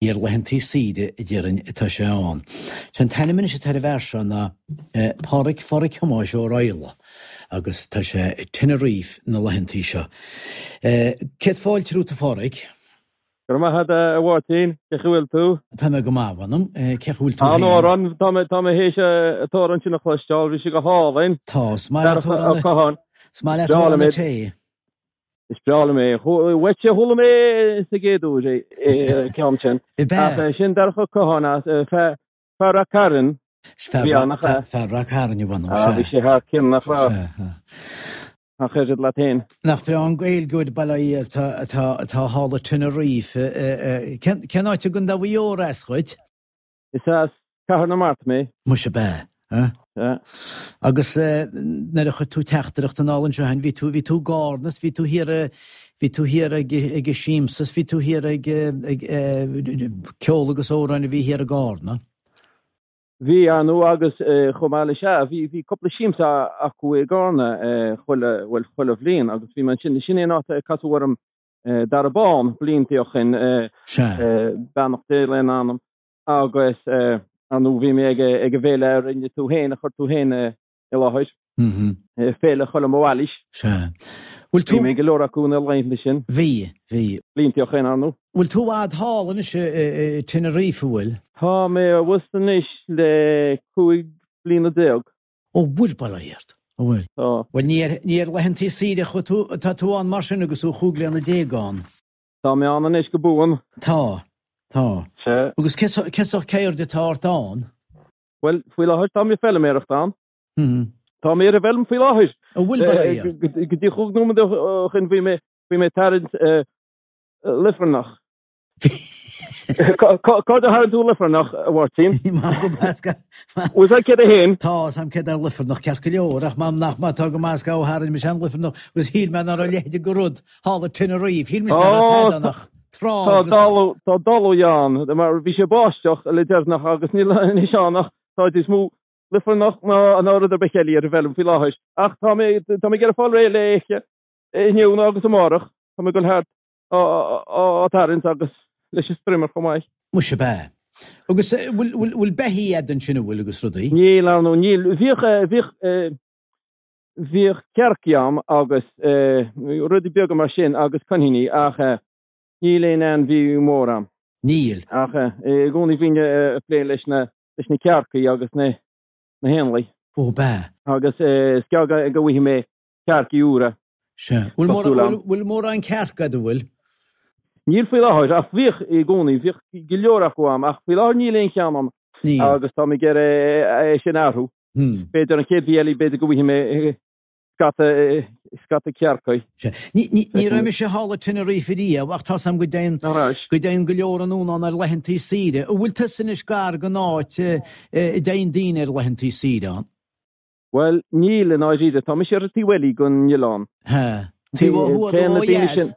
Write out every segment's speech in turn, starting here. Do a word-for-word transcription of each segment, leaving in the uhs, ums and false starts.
Ar laethantaí saoire, a déarfainn, atá sé ann. Sé an t-ainm anois atá ar an bhfear seo ná Pádhraic Phádhraic Thomáis Ó Raghallaigh agus tá sé i Tenerife na laethantaí seo. Céad fáilte romhat, a Phádhraic. Go raibh maith agat, a Mháirtín. Cén chaoi a bhfuil tú? Tá mé go maith, mh'anam. Cén chaoi a bhfuil tú féin? An-amhrán. Tá mé tá mé théis an t-amhrán sin a chloisteáil. Bhí sé go hálainn. Tá. Is maith leat amhrán Is maith leat amhrán an tae. Is breá liom é. Uaitse a chuala mé sa gcéad uair é, an ceann sin. Ach sin Darach Ó Catháin as fear Ráth Cairn. Fear Ráth Cairn, a mh'anam, sea. Bhí sé thar cionn, nach raibh? Nach oiread leat féin. Nach breá an Gaeilgeoir, bail ó Dhia air, atá thall i Tenerife. Cén áit i gContae Mhaigh Eo as dhuit? Is as Cathair na Mart mé. Muise ab ea, a? Sea. Agus nuair a chuir tú teachtaireacht anall anseo féin, bhí tú, bhí tú i gCarna is bhí tú thiar, bhí tú thiar ag, ag an siamsa is bhí tú thiar ag, ag ceol agus amhráin a bhí thiar i gCarna. Bhí, ar ndóigh, agus chomh maith le sea, bhí, bhí cúpla siamsa acu i gCarna chuile, bhuel, chuile bhliain agus bhí mé ansin, sin é an áit a casadh orm Dara Bán blianta ó shin, beannacht Dé lena anam. Agus, ar ndóigh, bhí mé ag an bhféile a rinne tú féin, a chuir tú féin i láthair, Féile Choilm Ó Ailís. Sea. Bhfuil tú. Bhí mé ag go leor acu na laethanta sin. Bhí, bhí. Blianta ó shin, ar ndóigh. Bhfuil tú i bhfad thall anois i Tenerife, an bhfuil? Tá mé abhus anois le cúig bliana déag. Ó bhfuil, bail ó Dhia ort. Ó bhfuil. Tá. Bhuel, ní ar, ní ar laethantaí saoire a chuaigh tú, atá tú ann mar sin agus tú chúig bliana déag ann. Tá mé ann anois go buan. Tá. Tá. Sea. Agus cén sórt ceird atá ort ann? Bhuel, faoi láthair tá mé ag feilméaracht ann. Tá mé ar an bhfeilm faoi láthair. An bhfuil, bail ó Dhia ort? Go dtí chúig nóiméad ó shin bhí mé, bhí mé ag tarraingt luifearnach. Cá fhad a tharraing tú luifearnach, a Mháirtín? Bhfuil fhios agat céard é féin? Tá, 's a'm céard é luifearnach ceart go leor, ach m'anam nach má tá go maith 's go tharraing mise an luifearnach agus shíl mé ná raibh a leithéid de rud thall i Tenerife, shíl mise ná raibh tada ann ach trá Tá agus. dalladh, tá dalladh ann, mar bhí sé ag báisteach le deireanach agus níl anois ann ach tá níos mó luifearnach ná ná rud ar bith eile ar an bhfeilm faoi láthair. Ach tá mé, tá mé ag iarraidh fáil réidh léi inniu nó agus amárach. Tá mé ag dul thart á tarraingt agus leis an strimmer chomh maith. Muise ab ea. Agus bhfuil, bhfuil, bhfuil beithígh a'd ansin an bhfuil agus rudaí? Níl, ar ndóigh, níl. Bhíodh, bhíodh, bhíodh cearcaí a'm agus rudaí beaga mar sin agus coiníní ach níl aon ainmhí mór a'm. Níl. Ach i gcónaí bhínn ag plé leis na, leis na cearcaí agus na, na héanlaith. Ó, ab ea. Agus is gearr go bhfaighidh mé cearcaí úra. Sea. Bhfuil mórán, bhfuil mórán cearc a'd, an bhfuil? Níl faoi láthair, ach bhíodh i gcónaí, bhíodh go leor acu a'm, ach faoi láthair níl aon cheann a'm. Níl. Agus tá mé ag iarraidh é sin a athrú. B'fhéidir an chéad mhí eile, b'fhéidir go bhfaighidh mé scata, scata cearcaí. Sea. Ní, ní, ní raibh mise thall i Tenerife riamh, ach tá's a'm go dtéann, Nach raibh? go dtéann go leor anonn ann ar laethantaí saoire. An bhfuil tusa anois gar don áit a dtéann daoine ar laethantaí saoire ann? Bhuel, níl, i ndáiríre. Tá mise ar an taobh eile den oileán. Ha. Taobh ó thuaidh nó ó dheas?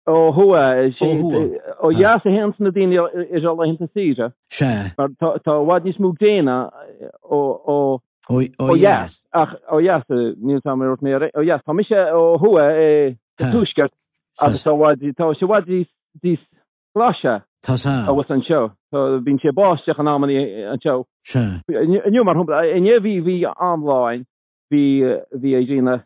Ó thuaidh. Ó thuaidh. Ó dheas a théanns na daoine ar a laethanta saoire. Sea. Mar tá i bhfad níos mó gréine ó ó dheas. Ach ó dheas, níl 's a'm ar mé ó dheas. Tá mise ó thuaidh sa tuaisceart agus tá sé i bhfad níos glaise. Tá 's a'm. Abhus anseo. Tá, bíonn sé ag báisteach in amannaí anseo. Sea. Inniu, mar shampla, inné bhí, bhí an-lá ann, bhí, bhí an ghrian ag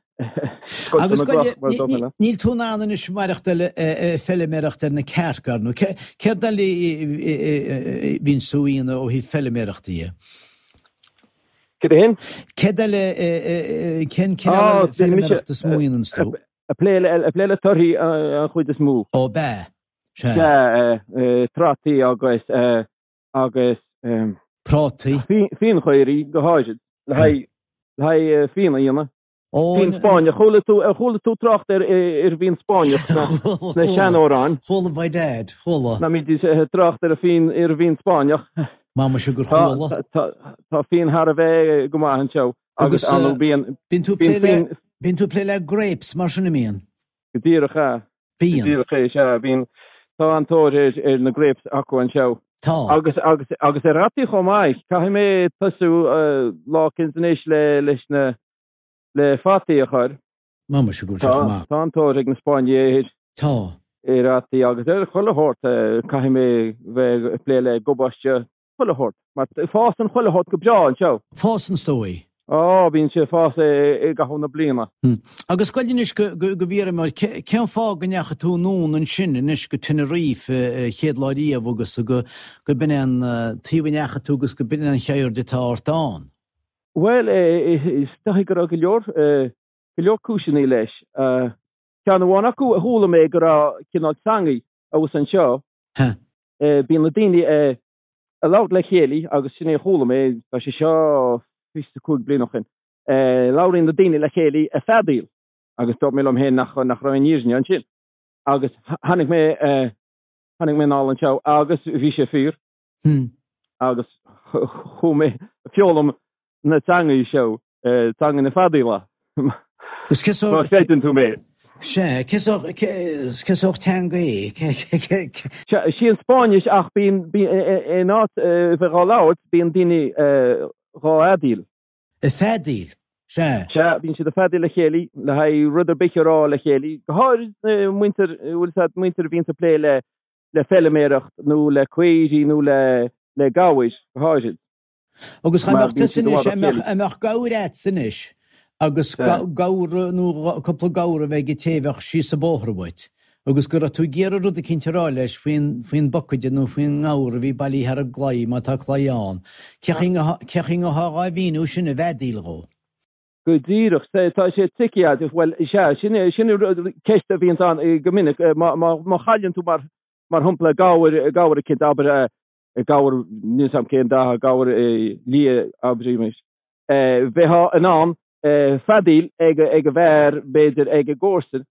scoilteadh Agus na goile, gcloch mar ní, dócha ní, le. níl tú in ann anois maireachtáil ag feiliméireacht ar na cearca, ar ndóigh. Céard eile a bhíonn tú a dhéanamh ó thaobh feiliméireachta dhe? Céard é sin? Céard eile, cén cineál Á, eile bhí mise feiliméireachta is mó a dhéananns tú? ag plé le, ag plé le torthaí an chuid is mó. Ó, b'ea. Sea, trátaí agus agus prátaí. Fíonchaoraí go háirid, le haghaidh le haghaidh fíon a dhéanamh. Ó, Fíon Spáinneach. Chuala tú ar chuala tú trácht ar ar bhfíon Spáinneach sna Chuala, sna chuala. seanamhráin? Chuala by dad, chuala. Ná bídís ag trácht ar an bhfíon ar an bhfíon Spáinneach. M'anam gur Tá chuala. tá tá fíon thar a bheith go maith anseo agus Agus ar ndóigh bíonn bíonn tú ag bíonn plé le fíon bíonn tú ag plé le grapes mar sin an mbíonn? Go díreach é. Bíonn. Díreach é, sea, bíonn. Tá an-tóir ar, ar na grapes acu anseo. Tá. Agus, agus, agus ar fhataí chomh maith. Caithfidh mé tosú lá eicínt anois le, leis na, le fataí a chur. M'anam go bhfuil sé Tá, chomh maith. tá an-tóir ag na Spáinnigh air. Tá. Ar fhataí agus ar chuile shórt, caithfidh mé bheith ag plé le gabáiste chuile shórt, mar fásann chuile shórt go breá anseo. Fásann, is dóigh. Á, bíonn sé ag fás i gcaitheamh na bliana. Agus gabh anois go bhfiafraí mar, cén fáth go ndeachaigh tú anonn ansin anois go Tenerife an chéad lá riamh agus go b'in é an taobh a ndeachaigh tú agus go b'in é an cheird atá ort ann? Bhuel, is dóigh go raibh go leor, go leor cúiseanna leis. Ceann amháin acu a chuala mé go raibh cineál teangaidh abhus anseo. Bíonn na daoine ag labhairt le chéile agus sin é a chuala mé, tá sé seo fiche is cúig bliain ó shin. Labhraíonn na daoine le chéile ag feadaíl agus dúirt mé liom féin nach nach raibh aon fhírinne ansin. Agus tháinig mé tháinig mé anall anseo agus bhí sé fíor. Agus chuaigh mé ag foghlaim na teangaí seo, teanga na feadaíola. Agus cé Má chreideann tú mé. Sea, cé sórt teanga é? Sea, sí an Spáinnis ach bíonn, in áit bheith dhá labhairt, bíonn daoine dhá fheadaíl. Ag feadaíl, sea. Sea, bíonn siad ag feadaíl le chéile le haghaidh rud ar bith a rá le chéile, go háirid muintir, bhfuil fhios a'd, muintir a bhíonns ag plé le le feilméaracht nó le caoirigh nó le le gabhair, go háirid. Agus cha mbeadh tusa anois, a mbeadh gabhar a'dsa anois agus gabhar nó cúpla gabhar a bheith ag téimheach síos an bóthar uait agus go raibh tú ag iarraidh rud eicínt a rá leis faoin faoin bpocaide nó faoin ngabhar a bhí bailithe thar an gclaí, má tá claí ann. Cé chaoi a ngabhfá dhá mhíniú sin i bhfeadaíl dhó? Go díreach, tá sé tricky, bhuel, sea, sin sin ceist a bhíonns ann go minic, má má chailleann tú mar mar shampla gabhar gabhar eicínt, abair gabhar, níl 'fhios a'm cén dath, gabhar liath, abraimis, bheifeá in ann feadaíl ag ag an bhfear, b'fhéidir ag an gcomharsan,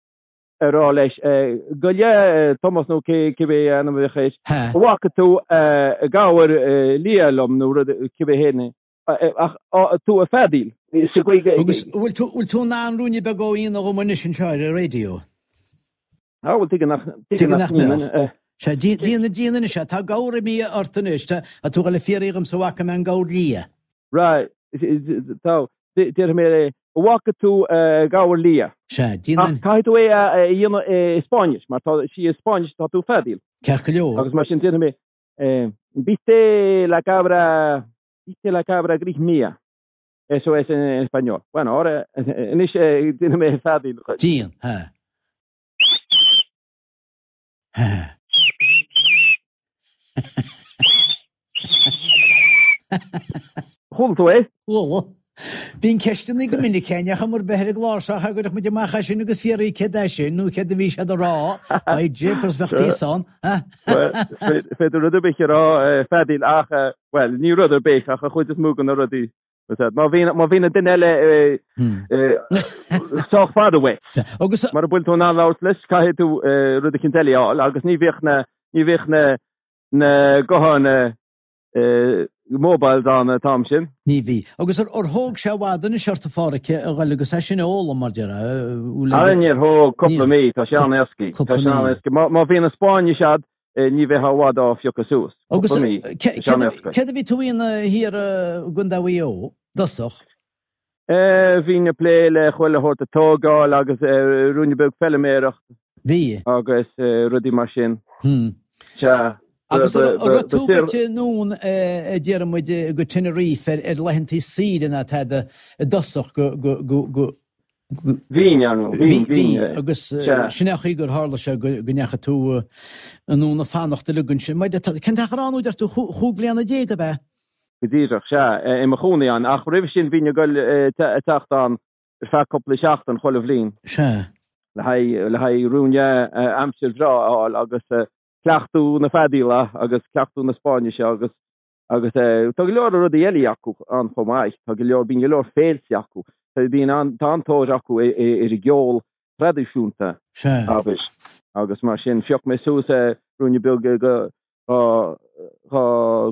a rá leis, gabh i leith Tomás nó cibé ainm a bheadh air, an bhfaca tú gabhar liath liom nó rud cibé héin é, ach tú ag feadaíl sa gcaoi go. Agus bhfuil tú in ann ruainne beag a dhéanamh dhom anois anseo ar an raidió? Á, bhuel, tuige nach, tuige nach mbeadh. Sea, déan, déan anois é, tá gabhar imithe ort anois, tá tú ag dul a fiafraí dhomsa an bhfaca mé an gabhar liath. Right, tá, déarfaidh mé é, an bhfaca tú gabhar liath? Sea, déan an. Ach caithfidh tú é a dhéanamh i Spáinnis, mar tá sí i Spáinnis tá tú ag feadaíl. Ceart go leor. Agus mar sin déarfaidh mé, viste la cabra, viste la cabra gris mía. Eso es en español. Bueno, ahora, anois déanfaidh mé feadaíl. Déan, ha. Chuala tú é? Chuala. Bíonn ceisteanna go minic againn ach mar bheith ar an gclár seo cha gcuirfeadh muid amach as sin agus fiafraí céard é sin nó céard a bhí siad a rá. By jeepers bheadh píosa ann. Bhuel, is féidir rud ar bith a rá ag feadaíl ach, bhuel, ní rud ar bith ach an chuid is mó de na rudaí. Má bhíonn má bhíonn an duine eile sách fada uait. Agus mura bhfuil tú in ann labhairt leis, caithfidh tú rud eicínt eile a fháil agus ní bhíodh na ní bhíodh na na gutháin mobiles ann an t-am sin. Ní bhí. Agus ar thóg sé i bhfad anois ort a Pháraic a dhul agus é sin a fhoghlaim mar déarfá? Ara níor thóg, cúpla mí, tá sé an-éascaí. Tá sé an-éascaí. Má bhíonn an Spáinnis a'd, ní bheifeá i bhfad á phiocadh suas. Agus céard a bhí tú a dhéanamh thiar i gContae Mhaigh Eo i dtosach? Bhínn ag plé le chuile shórt ag tógáil agus ruainne beag feilméireacht. Bhí. Agus rudaí mar sin. Sea. Agus an raibh tú gaibhte anonn a déarfaidh muid go Tenerife ar laethantaí saoire ná tada i dtosach go go Bhínn, ar ndóigh. Bhí, bhí. Agus sin é an chaoi gur tharla sé go ndeachaigh tú anonn ag fanacht uilig ansin. Cén t-achar ann, deir tú, chúig bhliana déag, ab ea? Go díreach, sea, i mo chónaí ann. Ach roimhe sin bhínn ag goil ag teacht ann ar feadh cúpla seachtain chuile bhliain. Sea. Le haghaidh, le haghaidh ruainne aimsir bhreá a fháil agus cleachtadh na feadaíola agus cleachtadh na Spáinnise agus Agus tá go leor rudaí eile acu ann chomh maith. Tá go leor, bíonn go leor féilte acu. Bíonn an, tá an-tóir acu ar an gceol traidisiúnta, abair. Agus mar sin, phioc mé suas ruainne beag dá, dá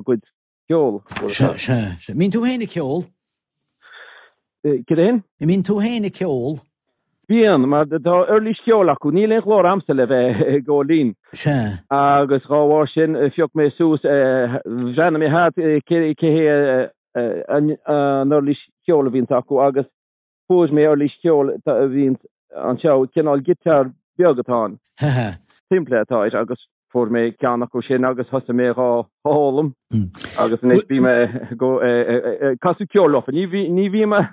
gcuid ceoil. Sea, sea, sea. Mbíonn tú féin ag ceol? Céard é sin? An mbíonn tú féin ag ceol? Bíonn, mar tá uirlis cheoil acu. Níl aon ghlór a'msa le bheith ag gabháil fhoinn. Sea. Agus dhá bharr sin, phioc mé suas, bhreathnaigh mé thart cé hé an uirlis cheoil a bhíonns acu agus fuair mé uirlis cheoil a bhíonns anseo, cineál giotár beag atá ann. simplí atá air agus fuair mé ceann acu sin agus thosaigh mé dhá fhoghlaim agus anois bím ag casadh ceoil leofa. Ní ní bhím ag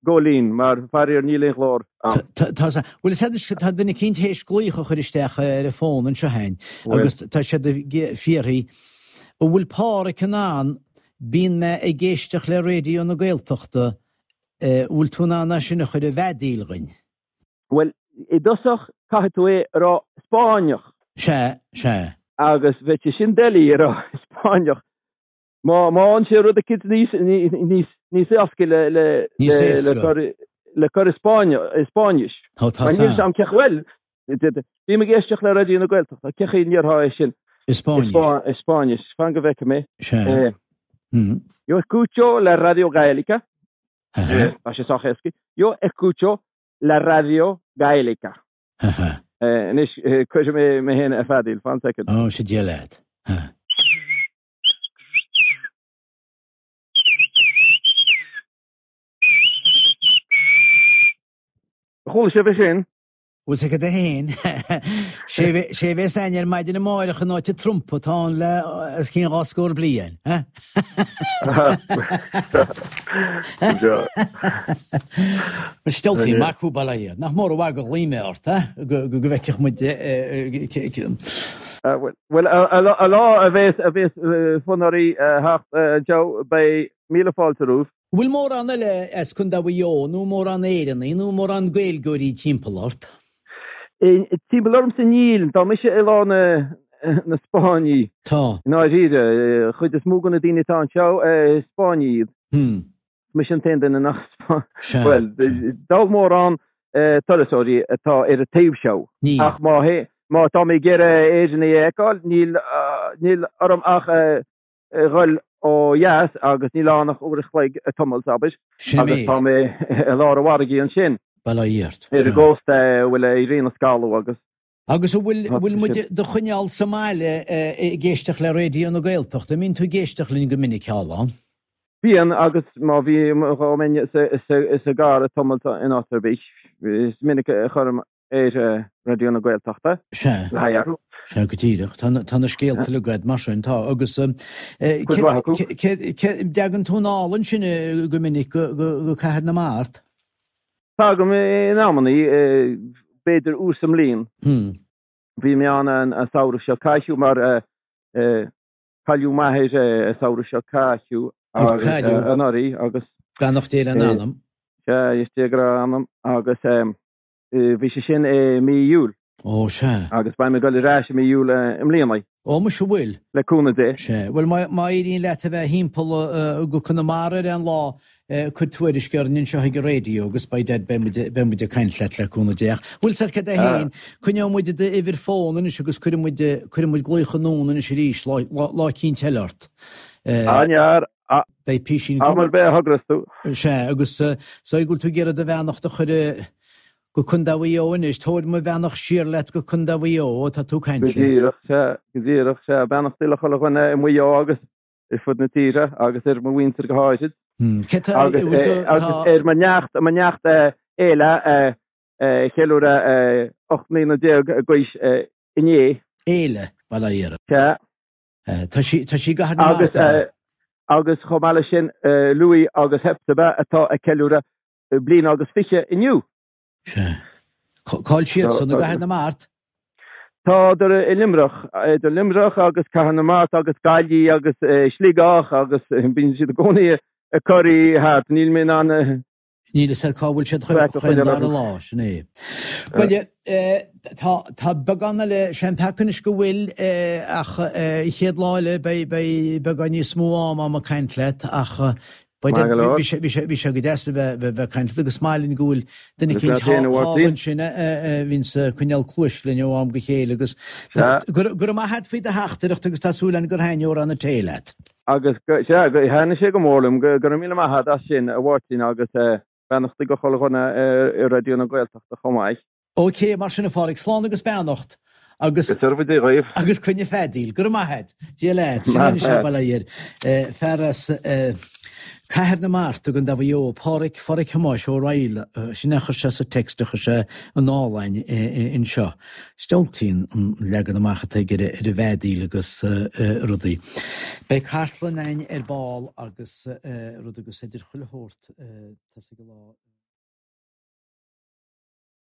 gabháil fhoinn mar faraor níl aon ghlór a'm. Tá bhfuil a fhios tá duine eicínt théis glaoch a chur isteach ar an bhfón anseo féin agus tá siad ag fiafraí an bhfuil Páraic in ann bíonn mé ag éisteacht le Raidió na Gaeltachta bhfuil tú in ann é sin a chur i bhfeadaíl dhuinn? Bhuel, i dtosach caithfidh tú é a rá Spáinneach. Sea, sea. Agus bheadh sé sin doiligh a rá Spáinneach. Má má fhaigheann sé rud eicínt níos níos níos éasca le le Níos le éasca. cur le cur i Spáinne i Spáinnis. Tá tá Mar níl san. 'fhios a'm cén chaoi bhuel bím ag éisteacht le Raidió na Gaeltachta, cén chaoi a ndéarfá é sin I i Spáinnis. Spá i Spáinnis. Fan go bhfeicfidh mé. Sea. Eh, Hmm. Yo escucho la radio gaélica. Aha. Tá sé sách éasca. Yo escucho la radio gaélica. Aha. Eh, Anois eh, cuirfidh mé mé féin ar feadaíl, fan soicind. Ó, sé Dia leat. Ha. Chuala sibh é sin? Bhfuil sé cad é féin? Sé bhe- sé bheas againn ar maidin amáireach in áit an trumpa atá ann le os cionn dhá scór bliain. Ha? Stealltaí maith thú bail ó Dhia. Nach mór an mhaith gur ghlaoigh mé ort, ha? Go go- go bhfeicfeadh muid eh, eh, ce- ce- Ah, Bhuel, bhuel, a a lá a lá a bheas a bheas eh, fonnóirí eh, theacht eh, anseo beidh míle fáilte romhaibh. Bhfuil mórán eile as Contae Mhaigh Eo nó mórán Éireannaigh nó mórán Gaeilgeoirí timpeall ort? Timpeall ormsa níl, tá mise i lár na na Spáinní. Tá. I ndáiríre, chuid is mó de na daoine atá anseo Spáinnigh iad. Hmm. Mise an t-aon duine nach Sea. Bhuel, dall mórán turasóirí atá ar an taobh seo. Níl. Ach má má tá mé ag iarraidh Éireannaigh a fheiceáil, níl níl orm ach dhul ó dheas agus níl ann ach uair a chloig tamall, abair, Sin agus é. tá mé i lár an mhargaidh ansin. Bail ó Dhia ort. Ar an Sea. gcósta a bhfuil a éiríonn an scalladh agus. Agus an bhfuil Tá bhfuil muid sin. do choinneáil sa mbaile ag éisteacht le Raidió na Gaeltachta? An mbíonn tú ag éisteacht linn go minic thall ann? Bíonn agus má bhí dhá mbeinn sa gcarr tamall in áit ar bith, is minic a chuirim ar Raidió na Gaeltachta. Sea. Le haghaidh athrú. Sea, go díreach. Tá na, tá na scéalta uilig agat mar sin, tá. Agus Cuid mhaith acu. dtagann tú anall ansin go minic go, go, go Cathair na Mart? Tagaim in amannaí, b'fhéidir uair sa mbliain. Hmm. Bhí mé ann an samhradh seo caite mar cailleadh m'athair an samhradh seo caite agus anuraidh agus Beannacht Dé lena anam. Sea, is Dia go raibh a anam agus bhí sé sin i mí Iúil. Ó, sea. Agus beidh mé ag dul ar ais i mí Iúil i mbliana. Ó, muise bhfuil. Le cúnamh Dé. Sea. Bhuel, má má éiríonn leat a bheith thimpeall go Conamara ar aon lá, cuir tuairisc orainn anseo ag an raidió agus beidh dead beidh muid beidh muid ag caint leat le cúnamh Dé. Ach bhfuil 's agat cad é féin, coinneoidh muid d'uimhir fóin anois agus cuirfidh muid cuirfidh muid glaoch anonn anois arís lá lá lá eicínt eile ort. An-fhearr. Beidh písín Am ar bith a thograíos tú. Sea, agus so go bhfuil tú ag iarraidh do bheannacht a chur go Contae Mhaigh Eo anois, tabhair mo bheannacht siar leat go Contae Mhaigh Eo, tá tú ag caint Go linn. díreach, sea, go díreach, sea, beannachtaí le chuile dhuine i Maigh Eo agus ar fud na tíre agus ar mo mhuintir go háirid. Cé tá, Agus bhfuil tú, agus tá. ar mo neacht, mo neacht Éile a cheiliúradh ocht mbliana déag d'aois inné. Éile, bail ó Dhia uirthi. Sea. Tá sí, tá sí i gCathair na Agus Mart, ab ea? agus chomh maith leis sin Louis agus Hepzibah atá ag ceiliúradh bliain agus fiche inniu. Sea. Cá bhfuil siadsan i gCathair na Mart? Tádar i Luimneach, idir Luimneach agus Cathair na Mart agus Gaillimh agus Sligeach agus bíonn siad i gcónaí ag corraí thart. Níl mé in ann Níl a fhios agat cá bhfuil siad Traic a chaon choinneáil dara orthu. lá, sin é. Bhuel, tá tá beagán eile, sé an peaca anois go bhfuil ach an chéad lá eile beidh beidh beagán níos mó ama a'm ag caint leat ach Maith go leor. bhí sé bhí sé bhí sé go deas a bheith bheith ag caint leat agus maith linn go bhfuil duine Agus eicínt leat féin, a thall Mháirtín. ansin a bhíonns ag coinneáil cluais linn ó am go chéile agus Sea. go raibh maith agat faoi do theachtaireacht agus tá súil againn gur thaitnigh Amhrán an Tae leat. Agus go sea, go thaitnigh sé go mór liom, go go raibh míle maith agat as sin, a Mháirtín, agus beannachtaí go chuile dhuine i Raidió na Gaeltachta chomh maith. Ok, mar sin a Pháraic, slán agus beannacht agus Go dearfa Dia dhaoibh. Agus coinnigh feadaíl. Go raibh maith agat. Dia leat. Sin Maith anois agat. bail ó Dhia air. Fear as Cathair na Mart i gContae Mhaigh Eo, Páraic Pháraic Thomáis Ó Raghallaigh, sin é a chuir sé sa text a chuir sé anall a'inn anseo. Is diabhaltaí an leagan amach atá aige ar an bhfeadaíl agus rudaí. Beidh cartlann a'inn ar ball agus rud agus idir chuile shórt, tá sé go lá.